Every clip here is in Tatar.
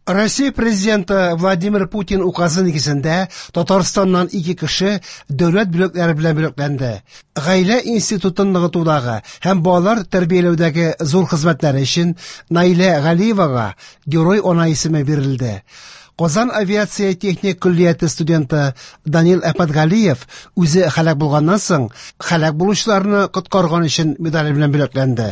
Россия президенты Владимир Путин указы нигезендә Татарстаннан ике кеше дәүләт бүләкләре белән бүләкләнде. Гаилә институтын ныгытудагы һәм балалар тәрбияләүдәге зур хезмәтләре өчен Наилә Галиевага Герой ана исеме бирелде. Казан авиация техник көллияте студенты Данил Әхмәтгалиев үзе һәлак булганнан соң һәлак булучыларны коткарган өчен медале белән бүләкләнде.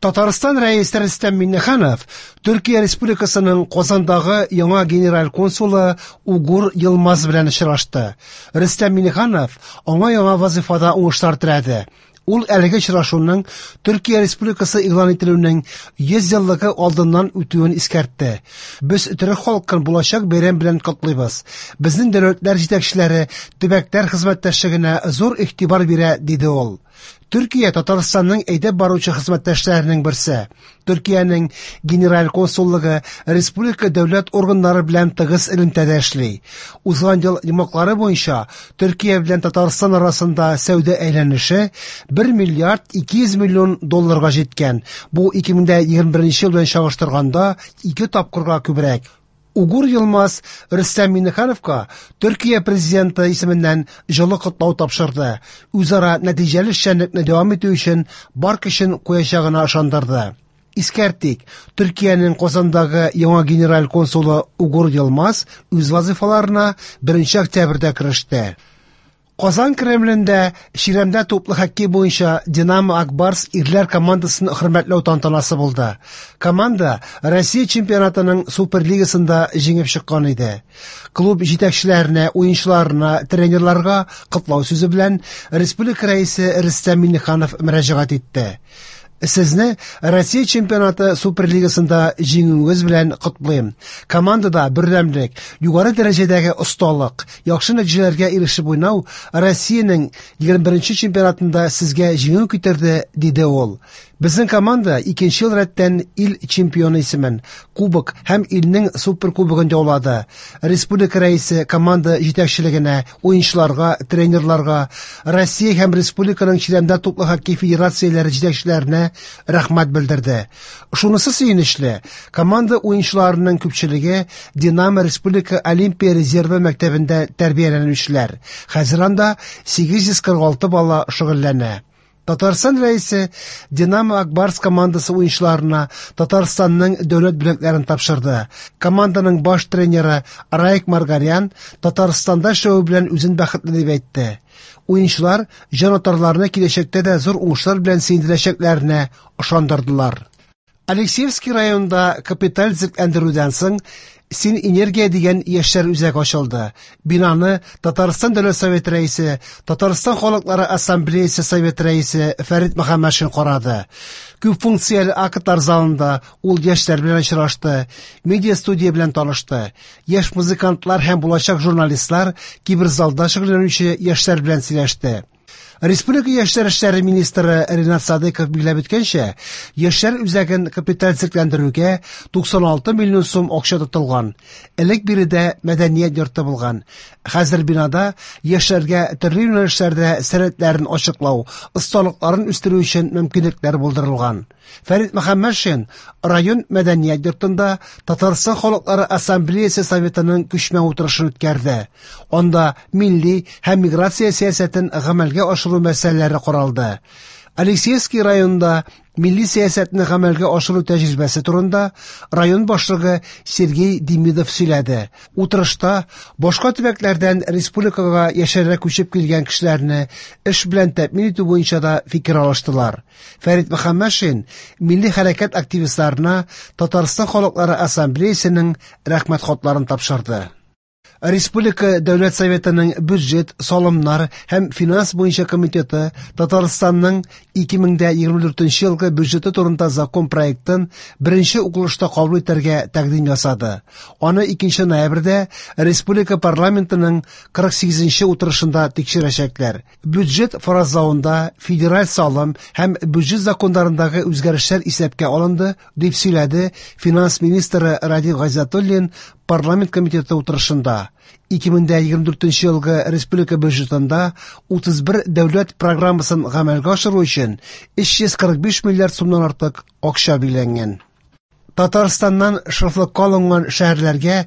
Татарстан Рәисе Рөстәм Миңнеханов Төркия Республикасының Казандагы яңа генераль консулы Угур Йылмаз белән очрашты. Рөстәм Миңнеханов аңа яңа вазифада уңышлар теләде. Ул әлеге очрашуның Төркия Республикасы игълан ителүенең 100 еллыгы алдыннан үтүен искәртте. Без төрек халкын булачак бәйрәм белән котлыйбыз. Безнең дәүләтләр җитәкчеләре төбәкләр хезмәттәшлегенә зур игътибар бирә, диде ул. Төркия Татарстанның әйдәп баручы хезмәттәшләренең берсе. Төркиянең генераль консуллыгы республика дәүләт органнары белән тыгыз элемтәдә эшли. Узган ел йомгаклары буенча Төркия белән Татарстан арасында сәүдә әйләнеше 1 миллиард 200 миллион долларга җиткән. Бу 2021 ел белән чагыштырганда ике тапкырга күбрәк. Угур Йылмаз Рөстәм Миңнехановка Төркия президенты исеменнән җылы котлау тапшырды. Үзара нәтиҗәле эшчәнлекне дәвам итү өчен бар көчен куячагына ышандырды. Искәртик, Төркиянең Казандагы яңа генераль консулы Угур Йылмаз үз вазыйфаларына 1 октябрьдә кереште. Казан Кремлендә чирәмдә туплы хоккей буенча Динамо Акбарс ирләр командасын хөрмәтләү тантанасы булды. Команда Россия чемпионатының Суперлигасында җиңеп чыккан иде. Клуб җитәкчеләренә, уенчыларына, тренерларга котлау сүзе белән республика рәисе Рөстәм Миңнеханов мөрәҗәгать итте. Сезне Россия чемпионаты Суперлигасында җиңүегез белән котлыйм. Командада бердәмлек, югары дәрәҗәдәге осталык, яхшы нәтиҗәләргә ирешеп уйнау Россиянең 21 чемпионатында сезгә җиңү китерде, диде ул. Безнең команда икенче ел рәттән ил чемпионы исемен, кубок һәм илнең суперкубогын яулады. Республика рәисе команда җитәкчелегенә, уенчыларга, тренерларга, Россия һәм республиканың чирәмдә туплы хоккей федерацияләре җитәкчеләренә рәхмәт белдерде. Шунысы сөенечле, команда уенчыларының күпчелеге Динамо Республика Олимпия резервы мәктәбендә тәрбияләнүчеләр. Хәзер анда 846 бала шөгыльләнә. Татарстан рәисе Динамо Акбарс командасы уенчыларына Татарстанның дәүләт бүләкләрен тапшырды. Команданың баш тренеры Раик Маргарян Татарстанда эшләве белән үзен бәхетле дип әйтте. Уенчылар җанатарларны киләчәктә дә зур уңышлар белән сөендерәчәкләренә ышандырдылар. Алексеевский районында капиталь төзекләндерүдән соң Син энергия дигән яшьләр үзәге ачылды. Бинаны Татарстан Дәүләт Советы рәисе, Татарстан халыклары ассамблеясы Советы рәисе Фәрит Мөхәммәтшин карады. Күп функцияле актлар залында ул яшьләр белән очрашты, медиа студия белән танышты. Яшь музыкантлар һәм булачак журналистлар киберзалда шөгыльләнүче яшьләр белән сөйләште. Республика яшьләр эшләре министры Ренат Садыков билгеләп үткәнчә, яшьләр үзәген капиталь төзекләндерүгә 96 миллион сум акча тотылган. Элек биредә мәдәният йорты булган. Хәзер бинада яшьләргә төрле юнәлешләрдә сәләтләрен ачыклау, осталыкларын үстерү өчен мөмкинлекләр булдырылган. Фәрит Мөхәммәтшин район мәдәният йортында Татарстан халыклары ассамблеясы советының күчмә утырышын үткәрде. Анда милли һәм миграция сәясәтен гамәлгә ашыру мәсьәләләре каралды. Алексеевский районында милли сәясәтне гамәлгә ашыру тәҗрибәсе турында район башлыгы Сергей Демидов сөйләде. Утырышта башка төбәкләрдән республикага яшәргә күчеп килгән кешеләрне эш белән тәэмин итү буенча да фикер алыштылар. Фәрит Мөхәммәтшин милли хәрәкәт активистларына Татарстан халыклары ассамблеясының рәхмәт хатларын тапшырды. Республика Дәүләт Советының бюджет, салымнар һәм финанс буенча комитеты Татарстанның 2024 елгы бюджеты турында закон проектын беренче укылышта кабул итәргә тәкъдим ясады. Аны 2 ноябрьдә республика парламентының 48 утырышында тикшерәчәкләр. Бюджет фаразлавында федераль салым һәм бюджет законнарындагы үзгәрешләр исәпкә алынды, дип сөйләде финанс министры Радик Гайзатуллин парламент комитеты утырышында. 2024 елгы республика бюджетында 31 дәүләт программасын гамәлгә ашыру өчен 345 миллиард сумнан артык акча билгеләнгән. Татарстаннан шефлыкка алынган шәһәрләргә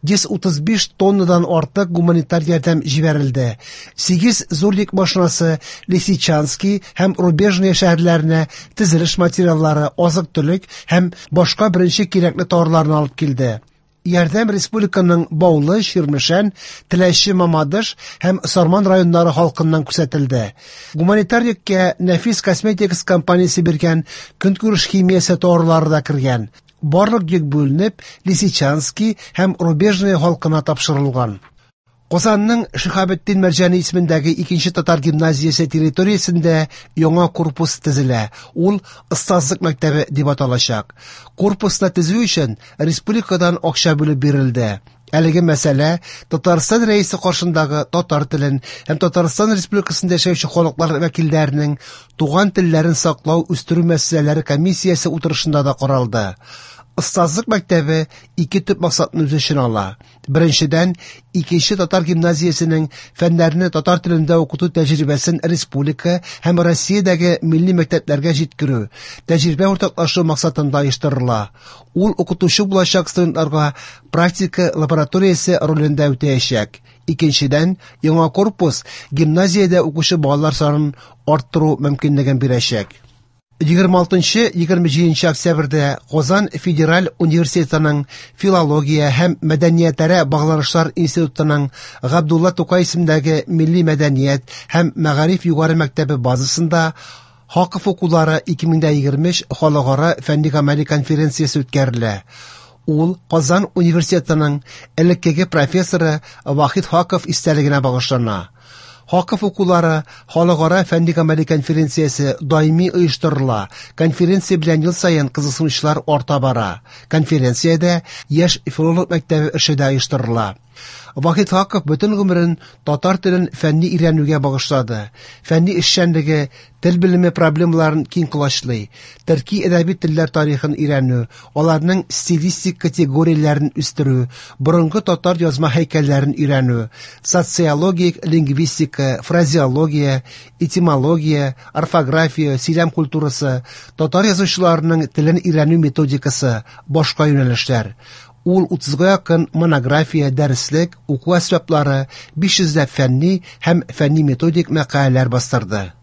135 тоннадан артык гуманитар ярдәм җибәрелде. 8 зур йөк машинасы Лисичански һәм Рубежное шәһәрләренә төзелеш материаллары, азык-төлек һәм башка беренче кирәкле товарларны алып килде. Ярдәм республиканың Баулы, Чирмешән, Теләче, Мамадыш һәм Сарман районнары халкыннан күрсәтелде. Гуманитар йөккә Нәфис Косметикс компаниясе биргән көнкүреш химиясе товарлары да кергән. Барлык йөк бүленеп, Лисичански һәм Рубежное халкына тапшырылган. Казанның Шиһабетдин Мәрҗани исемендәге икенче татар гимназиясе территориясендә яңа корпус төзелә. Ул Остазлык мәктәбе дип аталачак. Корпусны төзү өчен республикадан акча бүлеп бирелде. Әлеге мәсьәлә Татарстан Рәисе каршындагы татар телен һәм Татарстан Республикасында яшәүче халыклар вәкилләренең туган телләрен саклау үстерү мәсьәләләре комиссиясе утырышында да каралды. Остазлык мәктәбе ике төп максатны үз эченә ала. Беренчедән, икенче татар гимназиясенең фәннәрне татар телендә укыту тәҗрибәсен республика һәм Россиядәге милли мәктәпләргә җиткерү, тәҗрибә уртаклашу максатында оештырыла. Ул укытучы булачак студентларга практика лабораториясе ролен дә үтәячәк. Икенчедән, яңа корпус гимназиядә укучы балалар санын арттыру мөмкинлеген бирәчәк. 26-27 октябрьдә Казан федераль университетының филология һәм мәдәниятара багланышлар институтының Габдулла Тукай исемендәге милли мәдәният һәм мәгариф югары мәктәбе базасында Хаков укулары 2023 халыкара фәнни-гамәли конференциясе үткәрелә. Ул Казан университетының элеккеге профессоры Вахит Хаков истәлегенә багышлана. Хаков укулары халыкара фәнни-гамәли конференциясе даими оештырыла. Конференция белән ел саен кызыксынучылар арта бара. Конференциядә яшь филолог мәктәбе эше дә оештырыла. Вахит Хаков бөтен гомерен татар телен фәнни өйрәнүгә багышлады. Фәнни эшчәнлеге тел белеме проблемаларын киң колачлый. Төрки әдәби телләр тарихын өйрәнү, аларның стилистик категорияләрен үстерү, борынгы татар язма һәйкәлләрен өйрәнү, социологик лингвистика, фразеология, этимология, орфография, сөйләм культурасы, татар язучыларының телен өйрәнү методикасы, башка юнәлешләр. Ул 30-га якын монография, дәреслек, уку әсбаплары, 500 ләп фәнни һәм фәнни-методик мәкаләләр бастырды.